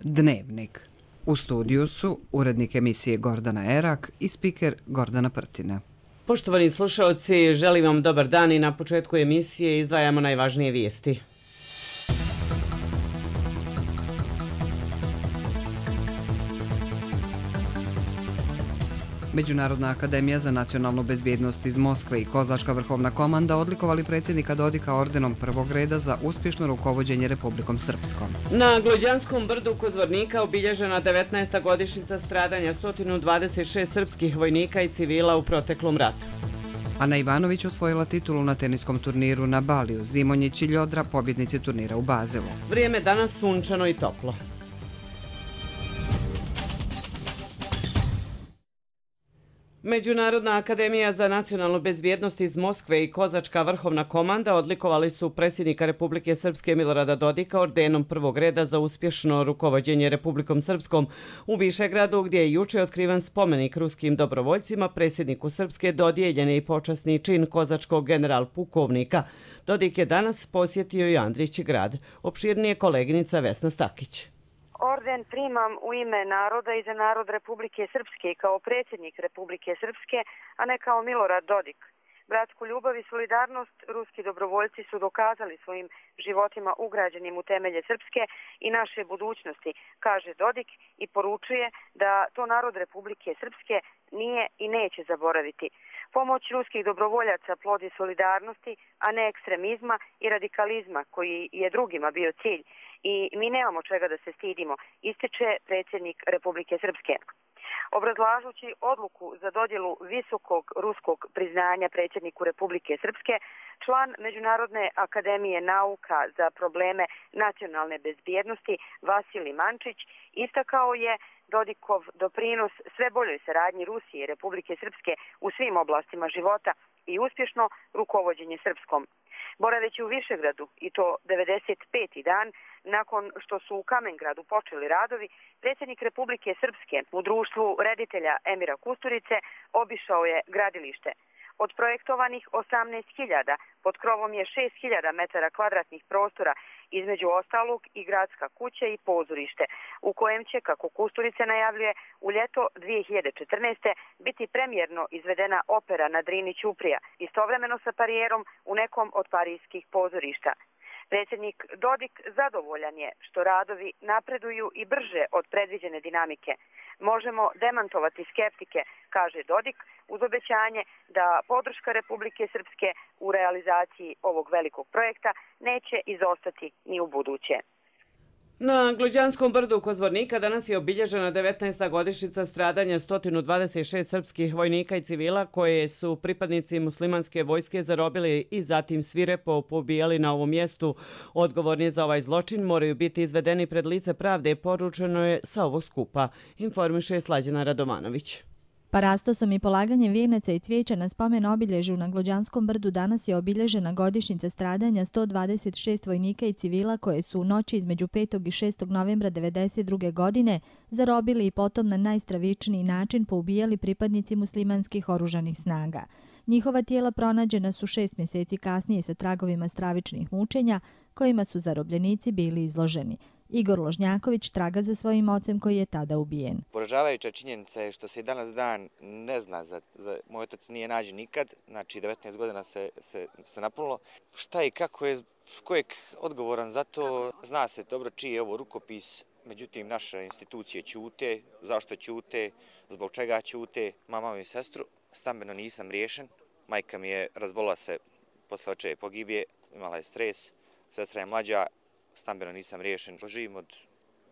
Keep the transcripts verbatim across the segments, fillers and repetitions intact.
Dnevnik. U studiju su urednik emisije Gordana Erak i spiker Gordana Prtina. Poštovani slušalci, želim vam dobar dan i na početku emisije izdvajamo najvažnije vijesti. Međunarodna akademija za nacionalnu bezbjednost iz Moskve i Kozačka vrhovna komanda odlikovali predsjednika Dodika ordenom prvog reda za uspješno rukovođenje Republikom Srpskom. Na Glođanskom brdu kod Zvornika obilježena devetnaesta godišnjica stradanja sto dvadeset šest srpskih vojnika i civila u proteklom ratu. Ana Ivanović osvojila titulu na teniskom turniru na Baliju, Zimonjić i Ljodra pobjednici turnira u Bazelu. Vrijeme danas sunčano i toplo. Međunarodna akademija za nacionalnu bezbjednost iz Moskve i Kozačka vrhovna komanda odlikovali su predsjednika Republike Srpske Milorada Dodika ordenom prvog reda za uspješno rukovođenje Republikom Srpskom u Višegradu, gdje je juče otkriven spomenik ruskim dobrovoljcima. Predsjedniku Srpske dodijeljen je i počasni čin kozačkog general pukovnika. Dodik je danas posjetio i Andrić grad. Opširnije koleginica Vesna Stakić. Orden primam u ime naroda i za narod Republike Srpske kao predsjednik Republike Srpske, a ne kao Milorad Dodik. Bratsku ljubav i solidarnost ruski dobrovoljci su dokazali svojim životima ugrađenim u temelje Srpske i naše budućnosti, kaže Dodik i poručuje da to narod Republike Srpske nije i neće zaboraviti. Pomoć ruskih dobrovoljaca plodi solidarnosti, a ne ekstremizma i radikalizma koji je drugima bio cilj. I mi nemamo čega da se stidimo, ističe predsjednik Republike Srpske. Obrazlažući odluku za dodjelu visokog ruskog priznanja predsjedniku Republike Srpske, član Međunarodne akademije nauka za probleme nacionalne bezbjednosti Vasilij Mančić istakao je Dodikov doprinos sve boljoj saradnji Rusije i Republike Srpske u svim oblastima života i uspješno rukovođenje Srpskom. Boraveći u Višegradu, i to devedeset peti dan nakon što su u Kamengradu počeli radovi, predsjednik Republike Srpske u društvu reditelja Emira Kusturice obišao je gradilište. Od projektovanih osamnaest hiljada pod krovom je šest hiljada metara kvadratnih prostora, između ostalog i gradska kuća i pozorište, u kojem će, kako Kusturice najavljuje, u ljeto dvije hiljade četrnaeste. biti premijerno izvedena opera na Drini Ćuprija, istovremeno sa parijerom u nekom od parijskih pozorišta. Predsjednik Dodik zadovoljan je što radovi napreduju i brže od predviđene dinamike. Možemo demantovati skeptike, kaže Dodik, uz obećanje da podrška Republike Srpske u realizaciji ovog velikog projekta neće izostati ni u buduće. Na Glođanskom brdu kod Zvornika danas je obilježena devetnaesta godišnjica stradanja sto dvadeset šest srpskih vojnika i civila koje su pripadnici muslimanske vojske zarobili i zatim svirepo pobijali na ovom mjestu. Odgovorni za ovaj zločin moraju biti izvedeni pred lice pravde, poručeno je sa ovog skupa, informiše Slađana Radovanović. Parastosom i polaganjem vijenaca i cvijeća na spomen obilježju na Glođanskom brdu danas je obilježena godišnjica stradanja sto dvadeset šest vojnika i civila koje su u noći između petog i šestog novembra devedeset druge. godine zarobili i potom na najstravičniji način poubijali pripadnici muslimanskih oružanih snaga. Njihova tijela pronađena su šest mjeseci kasnije sa tragovima stravičnih mučenja kojima su zarobljenici bili izloženi. Igor Ložnjaković traga za svojim ocem koji je tada ubijen. Poražavajuća činjenica je što se i danas dan ne zna, za, za moj otac nije nađen nikad, znači devetnaest godina se, se, se napunilo. Šta i kako je, ko je odgovoran za to, zna se dobro čiji je ovo rukopis, međutim naše institucije ćute, zašto ćute, zbog čega ćute, mama i sestru, stambeno nisam riješen, majka mi je razbolila se posle očeve pogibije, imala je stres, sestra je mlađa, stambeno nisam riješen, živim od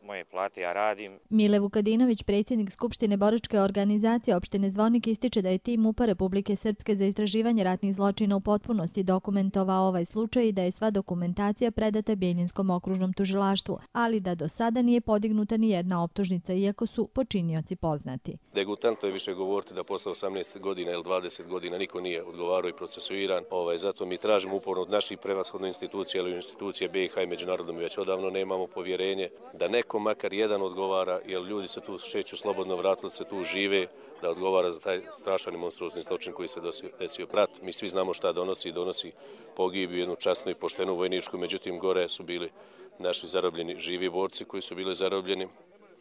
moje plate, ja radim. Mile Vukadinović, predsjednik Skupštine boračke organizacije opštine Zvornik, ističe da je tim MUP-a Republike Srpske za istraživanje ratnih zločina u potpunosti dokumentovao ovaj slučaj i da je sva dokumentacija predata Bjeljinskom okružnom tužilaštvu, ali da do sada nije podignuta ni jedna optužnica, iako su počinioci poznati. Degutantno je više govoriti da posle osamnaest godina ili dvadeset godina niko nije odgovarao i procesuiran. Ovaj, zato mi tražimo uporno od naših prevashodno institucija ili institucije B i H i međunarodno mi već odavno nemamo povjerenje da neko makar jedan odgovara, jer ljudi se tu šeću slobodno, vratili se tu, žive, da odgovara za taj strašan i monstruozni zločin koji se desio. Brat, mi svi znamo šta donosi, donosi pogibiju, jednu časnu i poštenu vojničku, međutim gore su bili naši zarobljeni živi borci koji su bili zarobljeni.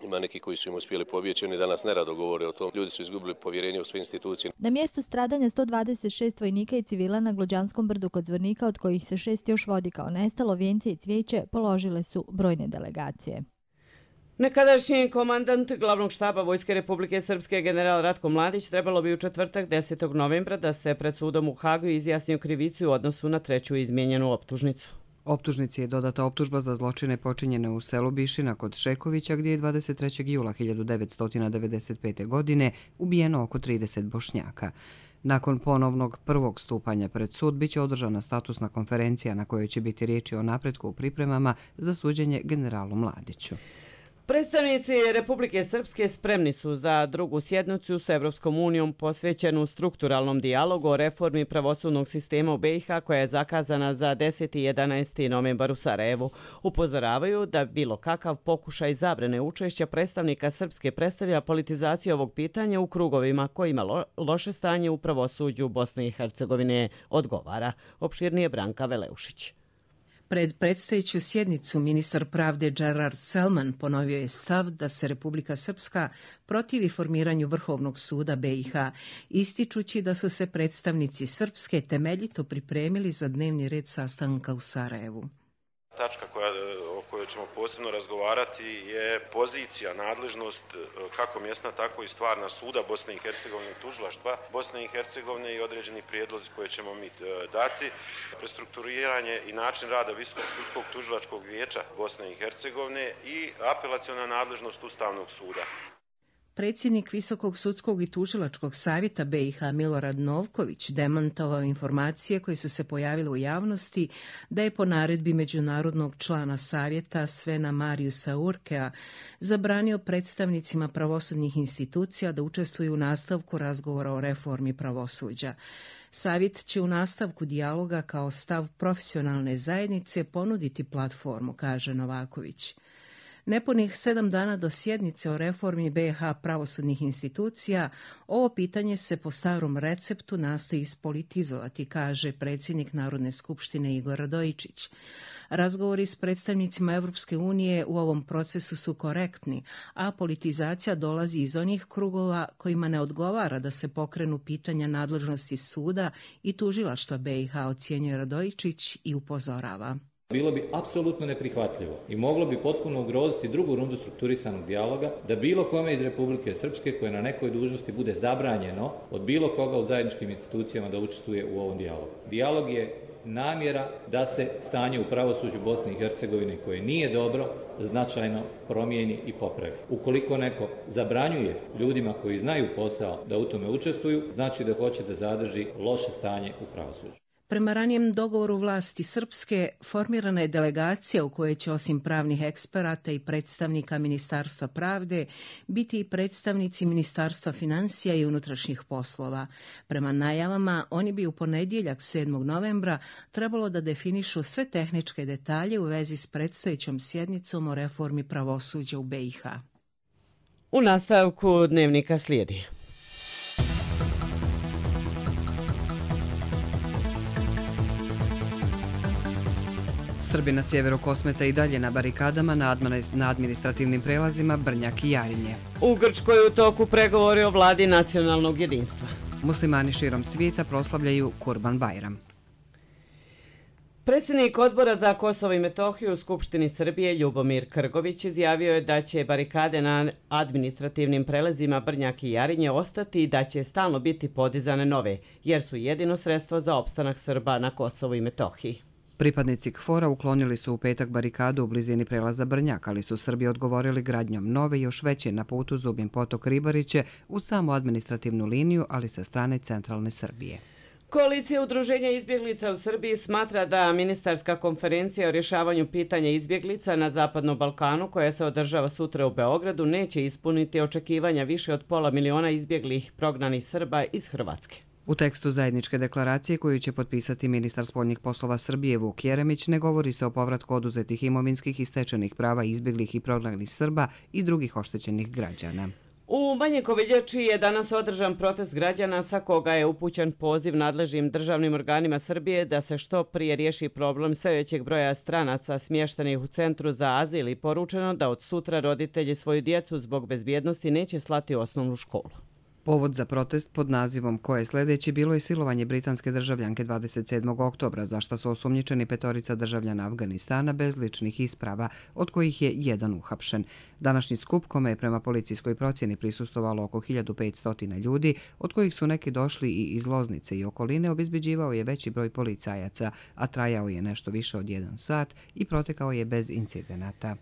Ima neki koji su im uspjeli pobjeći, oni danas nerado govore o tom. Ljudi su izgubili povjerenje u sve institucije. Na mjestu stradanja sto dvadeset šest vojnika i civila na Glođanskom brdu kod Zvornika, od kojih se šest još vodi kao nestalo, vijence i cvijeće položile su brojne delegacije. Nekadašnji komandant glavnog štaba Vojske Republike Srpske general Ratko Mladić trebalo bi u četvrtak desetog novembra da se pred sudom u Hagu izjasni o krivici u odnosu na treću izmijenjenu optužnicu. Optužnici je dodata optužba za zločine počinjene u selu Bišina kod Šekovića, gdje je dvadeset trećeg jula hiljadu devetsto devedeset pete. godine ubijeno oko trideset Bošnjaka. Nakon ponovnog prvog stupanja pred sud biće održana statusna konferencija na kojoj će biti riječi o napretku u pripremama za suđenje generalu Mladiću. Predstavnici Republike Srpske spremni su za drugu sjednicu s Evropskom unijom posvećenu strukturalnom dijalogu o reformi pravosudnog sistema u B i H koja je zakazana za deseti i jedanaesti novembar u Sarajevu. Upozoravaju da bilo kakav pokušaj zabrane učešća predstavnika Srpske predstavlja politizaciju ovog pitanja u krugovima kojima lo, loše stanje u pravosuđu Bosne i Hercegovine odgovara. Opširnije Branka Veleušić. Pred predstojeću sjednicu ministar pravde Gerard Selman ponovio je stav da se Republika Srpska protivi formiranju Vrhovnog suda B i H, ističući da su se predstavnici Srpske temeljito pripremili za dnevni red sastanka u Sarajevu. Tačka koja, o kojoj ćemo posebno razgovarati je pozicija, nadležnost kako mjesna, tako i stvarna suda Bosne i Hercegovine i tužilaštva Bosne i Hercegovine i određeni prijedlozi koje ćemo mi dati. Prestrukturiranje i način rada Visokog sudskog tužilačkog vijeća Bosne i Hercegovine i apelaciona nadležnost Ustavnog suda. Predsjednik Visokog sudskog i tužilačkog savjeta B i H Milorad Novković demantovao informacije koje su se pojavile u javnosti da je po naredbi međunarodnog člana savjeta Svena Mariusa Urkea zabranio predstavnicima pravosudnih institucija da učestvuju u nastavku razgovora o reformi pravosuđa. Savjet će u nastavku dijaloga kao stav profesionalne zajednice ponuditi platformu, kaže Novaković. Nepunih sedam dana do sjednice o reformi B i H pravosudnih institucija, ovo pitanje se po starom receptu nastoji ispolitizovati, kaže predsjednik Narodne skupštine Igor Radojičić. Razgovori s predstavnicima Evropske unije u ovom procesu su korektni, a politizacija dolazi iz onih krugova kojima ne odgovara da se pokrenu pitanja nadležnosti suda i tužilaštva B i H, ocjenjuje Radojičić i upozorava. Bilo bi apsolutno neprihvatljivo i moglo bi potpuno ugroziti drugu rundu strukturisanog dijaloga da bilo kome iz Republike Srpske koje na nekoj dužnosti bude zabranjeno od bilo koga u zajedničkim institucijama da učestvuje u ovom dijalogu. Dijalog je namjera da se stanje u pravosuđu Bosne i Hercegovine koje nije dobro značajno promijeni i popravi. Ukoliko neko zabranjuje ljudima koji znaju posao da u tome učestvuju, znači da hoće da zadrži loše stanje u pravosuđu. Prema ranijem dogovoru vlasti Srpske, formirana je delegacija u kojoj će osim pravnih eksperata i predstavnika Ministarstva pravde biti i predstavnici Ministarstva financija i unutrašnjih poslova. Prema najavama, oni bi u ponedjeljak sedmog novembra trebalo da definišu sve tehničke detalje u vezi s predstojećom sjednicom o reformi pravosuđa u B i H. U nastavku dnevnika slijedi. Srbi na sjeveru Kosmeta i dalje na barikadama na administrativnim prelazima Brnjak i Jarinje. U Grčkoj je u toku pregovori o vladi nacionalnog jedinstva. Muslimani širom svijeta proslavljaju Kurban Bajram. Predsjednik Odbora za Kosovo i Metohiju u Skupštini Srbije Ljubomir Krgović izjavio je da će barikade na administrativnim prelazima Brnjak i Jarinje ostati i da će stalno biti podizane nove, jer su jedino sredstvo za opstanak Srba na Kosovu i Metohiji. Pripadnici KFOR-a uklonili su u petak barikadu u blizini prelaza Brnjak, ali su Srbi odgovorili gradnjom nove još veće na putu Zubin Potok Ribariće u samu administrativnu liniju, ali sa strane centralne Srbije. Koalicija udruženja izbjeglica u Srbiji smatra da ministarska konferencija o rješavanju pitanja izbjeglica na Zapadnom Balkanu, koja se održava sutra u Beogradu, neće ispuniti očekivanja više od pola miliona izbjeglih prognanih Srba iz Hrvatske. U tekstu zajedničke deklaracije koju će potpisati ministar spoljnih poslova Srbije Vuk Jeremić ne govori se o povratku oduzetih imovinskih i stečenih prava izbjeglih i prognanih Srba i drugih oštećenih građana. U U Banji Koviljači je danas održan protest građana sa koga je upućen poziv nadležnim državnim organima Srbije da se što prije riješi problem sve većeg broja stranaca smještenih u centru za azil i poručeno da od sutra roditelji svoju djecu zbog bezbjednosti neće slati u osnovnu školu. Povod za protest pod nazivom Ko je sljedeći bilo je silovanje britanske državljanke dvadeset sedmog oktobra, za što su osumnjičeni petorica državljana Afganistana bez ličnih isprava, od kojih je jedan uhapšen. Današnji skup, kome je prema policijskoj procjeni prisustvovalo oko hiljadu petsto ljudi, od kojih su neki došli i iz Loznice i okoline, obezbeđivao je veći broj policajaca, a trajao je nešto više od jedan sat i protekao je bez incidenata.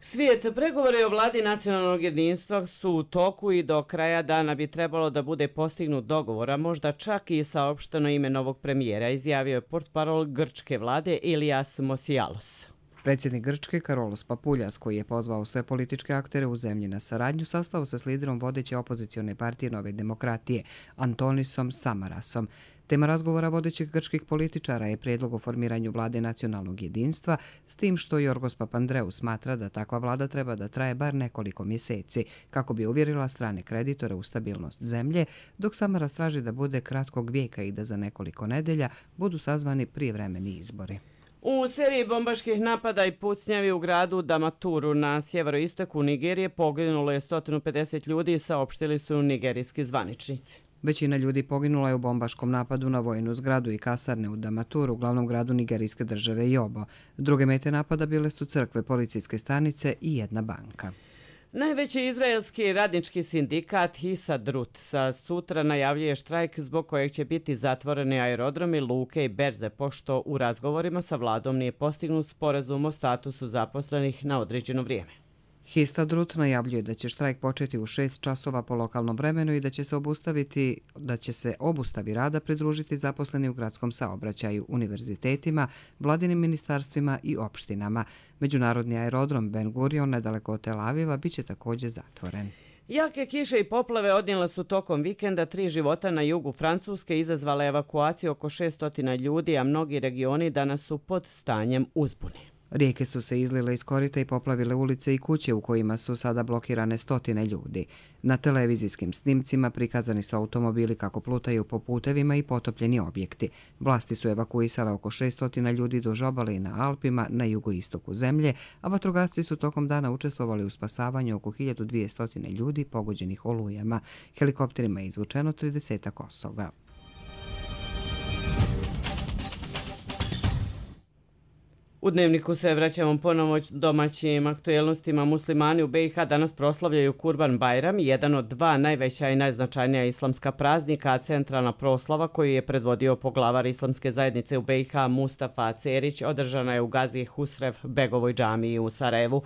Svijet, pregovore o vladi nacionalnog jedinstva su u toku i do kraja dana bi trebalo da bude postignut dogovor, a možda čak i saopšteno ime novog premijera, izjavio je portparol grčke vlade Ilias Mosialos. Predsjednik Grčke Karolos Papuljas, koji je pozvao sve političke aktere u zemlji na saradnju, sastao se s liderom vodeće opozicione partije Nove demokratije, Antonisom Samarasom. Tema razgovora vodećih grčkih političara je prijedlog o formiranju vlade nacionalnog jedinstva, s tim što Jorgos Papandreou smatra da takva vlada treba da traje bar nekoliko mjeseci, kako bi uvjerila strane kreditore u stabilnost zemlje, dok Samaras traži da bude kratkog vijeka i da za nekoliko nedelja budu sazvani prijevremeni izbori. U seriji bombaških napada i pucnjavi u gradu Damaturu na sjeveroistoku Nigerije poginulo je sto pedeset ljudi, saopštili su nigerijski zvaničnici. Većina ljudi poginula je u bombaškom napadu na vojnu zgradu i kasarne u Damaturu, glavnom gradu nigerijske države Yobo. Druge mete napada bile su crkve, policijske stanice i jedna banka. Najveći izraelski radnički sindikat Histadrut sa sutra najavljuje štrajk zbog kojeg će biti zatvoreni aerodromi, luke i berze, pošto u razgovorima sa vladom nije postignut sporazum o statusu zaposlenih na određeno vrijeme. Histadrut najavljuje da će štrajk početi u šest časova po lokalnom vremenu i da će se obustaviti, da će se obustavi rada pridružiti zaposleni u gradskom saobraćaju, univerzitetima, vladinim ministarstvima i opštinama. Međunarodni aerodrom Ben Gurion nedaleko od Tel Aviva biće također zatvoren. Jake kiše i poplave odnijele su tokom vikenda tri života na jugu Francuske, izazvale evakuaciju oko šesto ljudi, a mnogi regioni danas su pod stanjem uzbune. Rijeke su se izlile iz korita i poplavile ulice i kuće u kojima su sada blokirane stotine ljudi. Na televizijskim snimcima prikazani su automobili kako plutaju po putevima i potopljeni objekti. Vlasti su evakuisale oko šesto ljudi duž obale i na Alpima na jugoistoku zemlje, a vatrogasci su tokom dana učestvovali u spasavanju oko hiljadu dvjesto ljudi pogođenih olujama. Helikopterima je izvučeno trideset osoba. U Dnevniku se vraćamo ponovo domaćim aktuelnostima. Muslimani u B i H danas proslavljaju Kurban Bajram, jedan od dva najveća i najznačajnija islamska praznika, a centralna proslava koju je predvodio poglavar islamske zajednice u B i H Mustafa Cerić održana je u Gazi Husrev Begovoj džamiji u Sarajevu.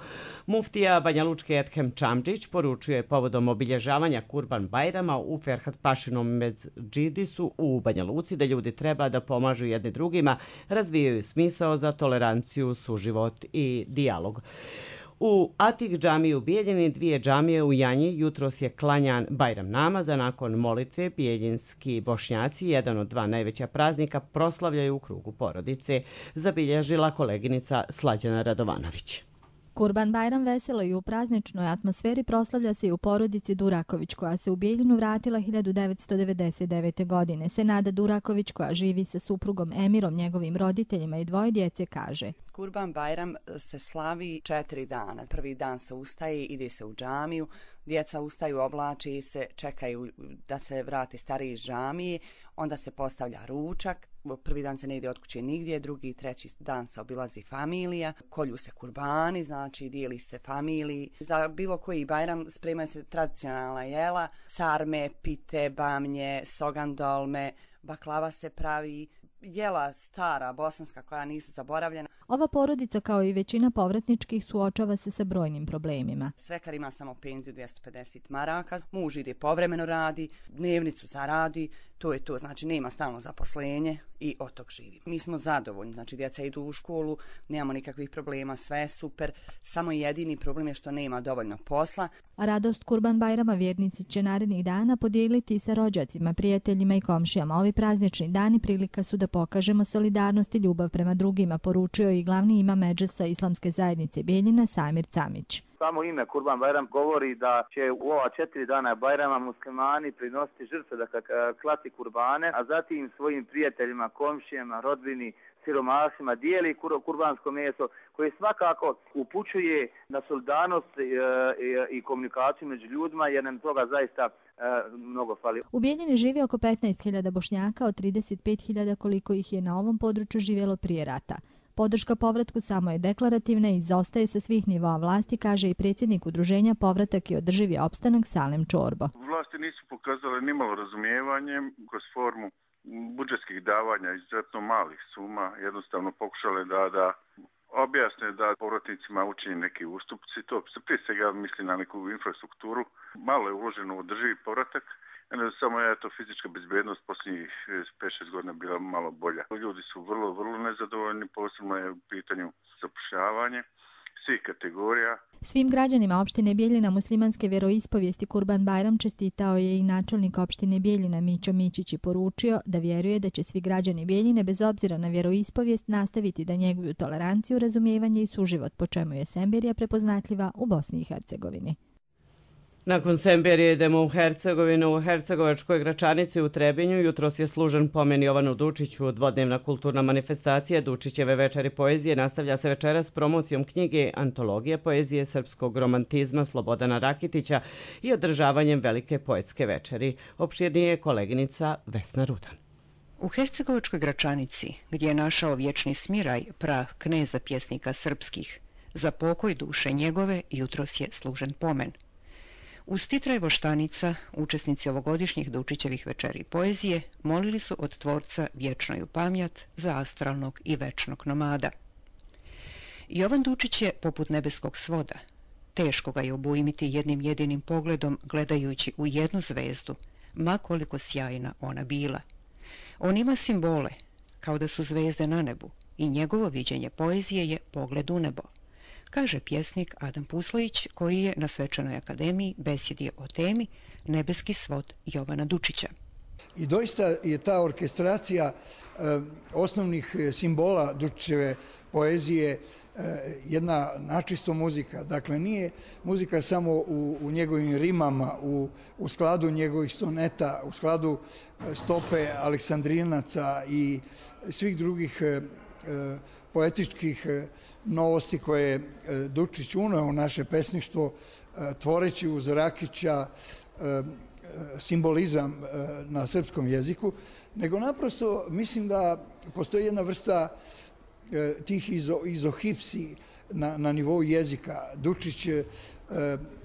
Muftija Banjalučke Ethem Čamdžić poručuje povodom obilježavanja Kurban Bajrama u Ferhat Pašinom Medžidisu u Banja Luci da ljudi treba da pomažu jedni drugima, razvijaju smisao za toleranciju, suživot i dijalog. U Atik džamiji u Bijeljini, dvije džamije u Janji, jutros je klanjan Bajram namaza. Nakon molitve bijeljinski Bošnjaci, jedan od dva najveća praznika, proslavljaju u krugu porodice, zabilježila koleginica Slađana Radovanović. Kurban Bajram veselo i u prazničnoj atmosferi proslavlja se i u porodici Duraković, koja se u Bijeljinu vratila hiljadu devetsto devedeset devete. godine. Senada Duraković, koja živi sa suprugom Emirom, njegovim roditeljima i dvoje djece, kaže: Kurban Bajram se slavi četiri dana. Prvi dan se ustaje, ide se u džamiju, djeca ustaju, oblači se, čekaju da se vrati stariji iz džamije, onda se postavlja ručak. Prvi dan se ne ide od kuće nigdje, drugi i treći dan se obilazi familija, kolju se kurbani, znači dijeli se familiji. Za bilo koji Bajram spremaju se tradicionalna jela, sarme, pite, bamnje, sogandolme, baklava se pravi, jela stara bosanska koja nisu zaboravljena. Ova porodica, kao i većina povratničkih, suočava se sa brojnim problemima. Svekar ima samo penziju dvjesto pedeset maraka, muž ide povremeno radi, dnevnicu zaradi, to je to, znači nema stalno zaposlenje i od tog živi. Mi smo zadovoljni, znači djeca idu u školu, nemamo nikakvih problema, sve je super, samo jedini problem je što nema dovoljno posla. A radost Kurban Bajrama vjernici će narednih dana podijeliti sa rođacima, prijateljima i komšijama. Ovi praznični dani prilika su da pokažemo solidarnost i ljubav prema drugima, poručio i glavni imam Medžesa Islamske zajednice Bijeljina Samir Camić. Samo ime Kurban Bajram govori da će u ova četiri dana Bajrama muslimani prinositi žrtve, da klati kurbane, a zatim svojim prijateljima, komšijama, rodbini, siromasima dijeli kurbansko meso koje svakako upućuje na solidarnost i komunikaciju među ljudima, jer nam toga zaista mnogo fali. U Bijeljini živi oko petnaest hiljada Bošnjaka od trideset pet hiljada koliko ih je na ovom području živjelo prije rata. Podrška povratku samo je deklarativna i izostaje sa svih nivoa vlasti, kaže i predsjednik udruženja Povratak i održivi opstanak Salem Čorbo. Vlasti nisu pokazale nimalo razumijevanje kroz formu budžetskih davanja izuzetno malih suma, jednostavno pokušale da, da objasne da povratnicima učini neki ustupci. To se prije svega misli na neku infrastrukturu. Malo je uloženo u održivi povratak. Samo je to fizička bezbednost posljednjih pet šest godina bila malo bolja. Ljudi su vrlo, vrlo nezadovoljni, posebno je u pitanju zapošljavanje svih kategorija. Svim građanima opštine Bijeljina muslimanske vjeroispovijesti Kurban Bajram čestitao je i načelnik opštine Bijeljina Mićo Mićić i poručio da vjeruje da će svi građani Bijeljine bez obzira na vjeroispovijest nastaviti da njeguju toleranciju, razumijevanje i suživot, po čemu je Semberija prepoznatljiva u Bosni i Hercegovini. Nakon Semberije idemo u Hercegovinu. U Hercegovačkoj Gračanici u Trebinju jutros je služen pomen Jovanu Dučiću. Dvodnevna kulturna manifestacija Dučićeve večeri poezije nastavlja se večeras promocijom knjige Antologija poezije srpskog romantizma Slobodana Rakitića i održavanjem velike poetske večeri. Opširnije je koleginica Vesna Rudan. U Hercegovačkoj Gračanici, gdje je našao vječni smiraj prah kneza pjesnika srpskih, za pokoj duše njegove jutros je služen pomen. Uz titraj voštanica, učesnici ovogodišnjih Dučićevih večeri poezije molili su od tvorca vječnoju pamjat za astralnog i večnog nomada. Jovan Dučić je poput nebeskog svoda. Teško ga je obujmiti jednim jedinim pogledom gledajući u jednu zvezdu, ma koliko sjajna ona bila. On ima simbole, kao da su zvezde na nebu, i njegovo viđenje poezije je pogled u nebo, kaže pjesnik Adam Puslojić, koji je na Svečanoj akademiji besjedio o temi Nebeski svod Jovana Dučića. I doista je ta orkestracija eh, osnovnih simbola Dučićeve poezije eh, jedna načisto muzika. Dakle, nije muzika samo u, u njegovim rimama, u, u skladu njegovih soneta, u skladu stope Aleksandrinaca i svih drugih eh, poetičkih novosti koje je Dučić uneo u naše pesništvo, tvoreći uz Rakića simbolizam na srpskom jeziku, nego naprosto mislim da postoji jedna vrsta tih izo, izohipsi na, na nivou jezika. Dučić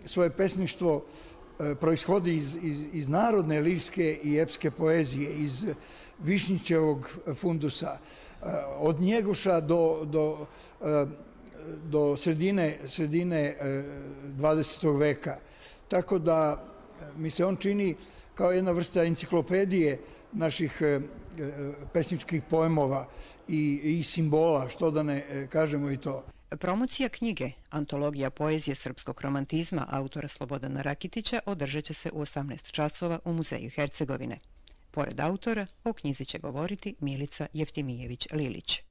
svoje pesništvo proishodi iz, iz, iz narodne lirske i epske poezije, iz Višnjićevog fundusa, od Njegoša do, do, do sredine, sredine dvadesetog veka. Tako da mi se on čini kao jedna vrsta enciklopedije naših pesničkih poemova i, i simbola, što da ne kažemo i to. Promocija knjige Antologija poezije srpskog romantizma autora Slobodana Rakitića održat će se u osamnaest časova u Muzeju Hercegovine. Pored autora, o knjizi će govoriti Milica Jeftimijević-Lilić.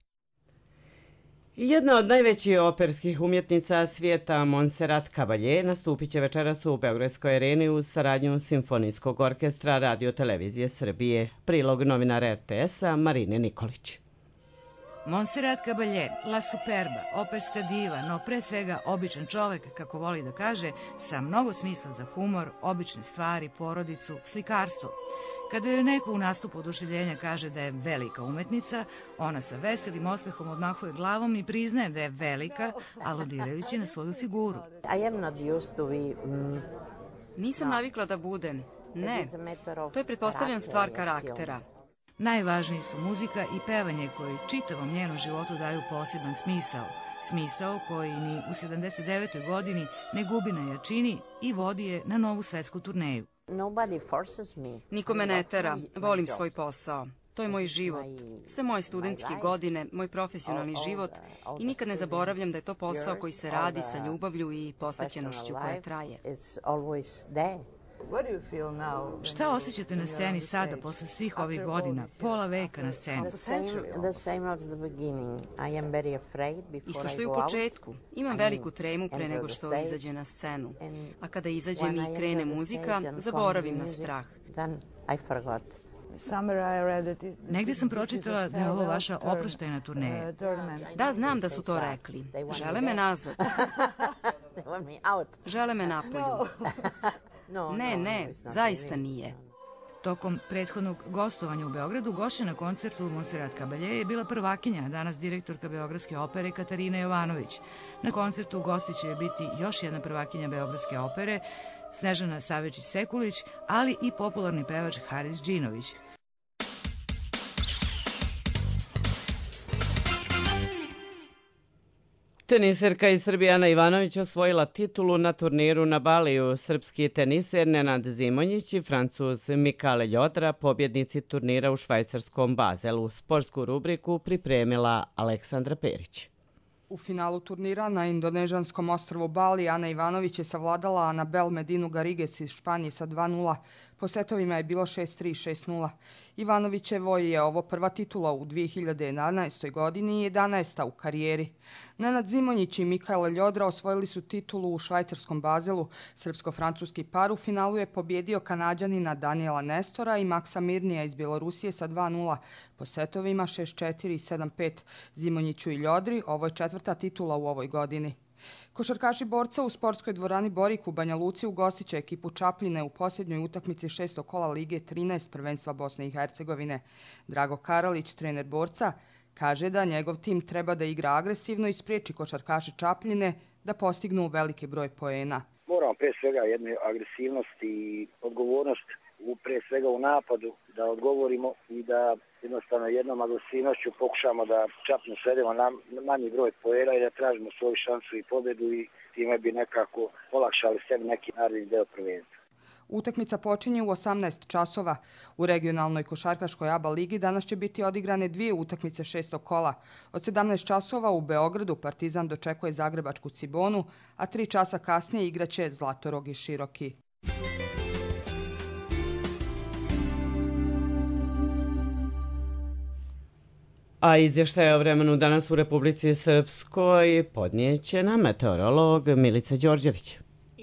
Jedna od najvećih operskih umjetnica svijeta, Montserrat Caballé, nastupit će večeras u Beogradskoj areni uz saradnju Simfonijskog orkestra Radio Televizije Srbije. Prilog novinara er te esa Marine Nikolić. Montserrat Caballé, La Superba, operska diva, no pre svega običan čovek, kako voli da kaže, sa mnogo smisla za humor, obične stvari, porodicu, slikarstvo. Kada joj neko u nastupu oduševljenja kaže da je velika umetnica, ona sa veselim osmehom odmahuje glavom i priznaje da je velika, aludirajući na svoju figuru. Nisam navikla da budem. Ne, to je pretpostavljam stvar karaktera. Najvažniji su muzika i pevanje koji čitavom njenom životu daju poseban smisao. Smisao koji ni u sedamdeset devetoj godini ne gubi na jačini i vodi je na novu svetsku turneju. Niko me ne tera, volim svoj posao. To je moj život, sve moje studentske godine, moj profesionalni život i nikad ne zaboravljam da je to posao koji se radi sa ljubavlju i posvećenošću koja traje. Šta osjećate na sceni sada, posle svih ovih godina, pola veka na sceni? Isto što i u početku. Imam veliku tremu pre nego što izađe na scenu. A kada izađem i krene muzika, zaboravim na strah. Negde sam pročitala da je ovo vaša oproštajna turneja. Da, znam da su to rekli. Žele me nazad. Žele me napolju. Ne, ne, zaista nije. Tokom prethodnog gostovanja u Beogradu gošća na koncertu Montserrat Caballé je bila prvakinja, a danas direktorka Beogradske opere Katarina Jovanović. Na koncertu u gosti će biti još jedna prvakinja Beogradske opere, Snežana Savičić-Sekulić, ali i popularni pevač Haris Džinović. Teniserka iz Srbije Ana Ivanović osvojila titulu na turniru na Baliju. Srpski teniser Nenad Zimonjić i Francuz Mikale Ljodra, pobjednici turnira u švajcarskom Bazelu. Sportsku rubriku pripremila Aleksandra Perić. U finalu turnira na indonežanskom ostrvu Bali Ana Ivanović je savladala Anabel Medinu Garrigues iz Španije sa dva nula. Po setovima je bilo šest tri, šest nula. Ivanovićevo je ovo prva titula u dvije hiljade jedanaestoj godini i jedanaesta u karijeri. Nenad Zimonjić i Mikale Ljodra osvojili su titulu u švajcarskom Bazelu. Srpsko-francuski par u finalu je pobjedio Kanađanina Daniela Nestora i Maksa Mirnija iz Bjelorusije sa dva nula. Po setovima šest četiri i sedam pet. Zimonjiću i Ljodri ovo je četvrta titula u ovoj godini. Košarkaši Borca u sportskoj dvorani Borik u Banja Luci ugostit će ekipu Čapljine u posljednjoj utakmici šestog kola Lige trinaest prvenstva Bosne i Hercegovine. Drago Karalić, trener Borca, kaže da njegov tim treba da igra agresivno i spriječi košarkaše Čapljine da postignu veliki broj poena. Moramo pre svega jednu agresivnost i odgovornost u pre svega u napadu da odgovorimo i da jednostavno jednom agresivnošću pokušamo da Čapljinu svedemo na manji broj poena i da tražimo svoju šansu i pobjedu i time bi nekako olakšali sebi neki naredni deo prvenstva. Utakmica počinje u osamnaest časova. U regionalnoj košarkaškoj A B A ligi danas će biti odigrane dvije utakmice šestog kola. Od sedamnaest časova u Beogradu Partizan dočekuje zagrebačku Cibonu, a tri časa kasnije igraće Zlatorog i Široki. A izvještaj o vremenu danas u Republici Srpskoj podnijeće nam meteorolog Milica Đorđević.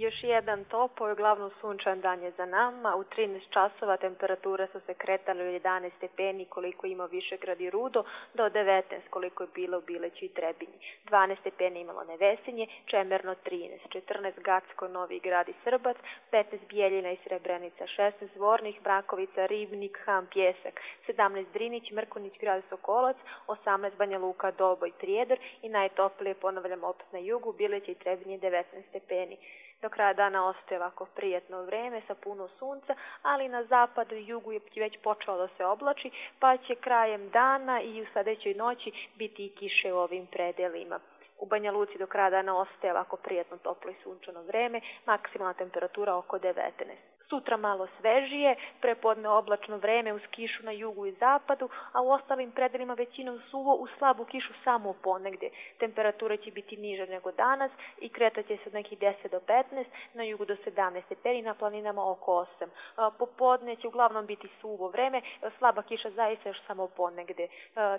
Još jedan topao i uglavnom sunčan dan je za nama. U trinaest časova temperature su se kretale u jedanaest stepeni koliko ima Višegrad i Rudo, do devetnaest koliko je bilo u Bileću i Trebinji. dvanaest stepeni imalo Nevesinje, Čemerno trinaest, četrnaest Gacko, Novi Grad i Srbac, petnaest Bijeljina i Srebrenica, šesnaest Zvornik, Brakovica, Ribnik, Ham, Pjesak, sedamnaest Drinić, Mrkonić, Grad Sokolac, osamnaest Banja Luka, Doboj, Prijedor i najtoplije, ponavljam opet na jugu, Bileća i Trebinje devetnaest stepeni. Do kraja dana ostaje ovako prijetno vreme sa puno sunca, ali na zapadu i jugu je već počelo da se oblači, pa će krajem dana i u sljedećoj noći biti i kiše u ovim predelima. U Banja Luci do kraja dana ostaje ovako prijetno toplo i sunčano vreme, maksimalna temperatura oko devetnaest. Sutra malo svežije, prepodne oblačno vreme uz kišu na jugu i zapadu, a u ostalim predelima većinom suvo uz slabu kišu samo ponegdje. Temperatura će biti niža nego danas i kretaće se od nekih deset do petnaest, na jugu do sedamnaest stepeni, na planinama oko osam. Popodne će uglavnom biti suvo vreme, slaba kiša zaista još samo ponegdje.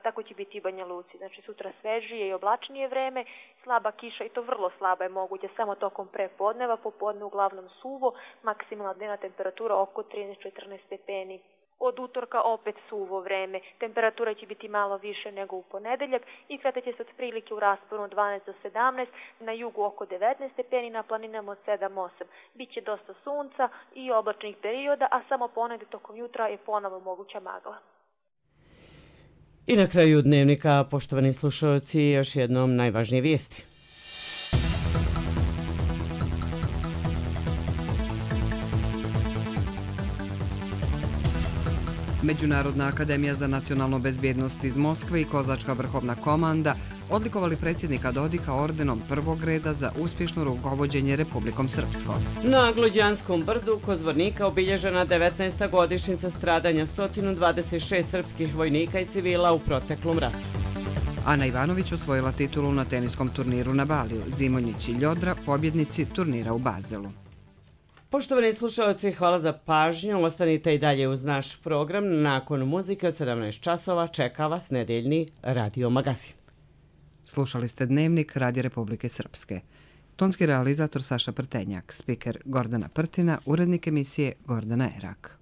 Tako će biti i Banja Luci. Znači sutra svežije i oblačnije vreme, slaba kiša i to vrlo slaba je moguće samo tokom prepodneva, popodne uglavnom suvo, maksimalna dnevna temperatura oko trinaest do četrnaest stepeni. Od utorka opet suvo vreme, temperatura će biti malo više nego u ponedeljak i kretaće se otprilike u rasponu od dvanaest do sedamnaest, na jugu oko devetnaest stepeni, na planinama od sedam do osam. Biće dosta sunca i oblačnih perioda, a samo ponegdje tokom jutra je ponovo moguća magla. I na kraju dnevnika, poštovani slušalci, još jednom najvažnije vijesti. Međunarodna akademija za nacionalnu bezbjednost iz Moskve i Kozačka vrhovna komanda odlikovali predsjednika Dodika ordenom prvog reda za uspješno rukovođenje Republikom Srpskom. Na Glođanskom brdu kod Zvornika obilježena devetnaesta godišnjica stradanja sto dvadeset šest srpskih vojnika i civila u proteklom ratu. Ana Ivanović osvojila titulu na teniskom turniru na Baliju. Zimonjić i Ljodra pobjednici turnira u Bazelu. Poštovani slušalci, hvala za pažnju. Ostanite i dalje uz naš program. Nakon muzike od sedamnaest časova čeka vas nedeljni radio magazin. Slušali ste Dnevnik Radija Republike Srpske. Tonski realizator Saša Prtenjak, spiker Gordana Prtina, urednik emisije Gordana Erak.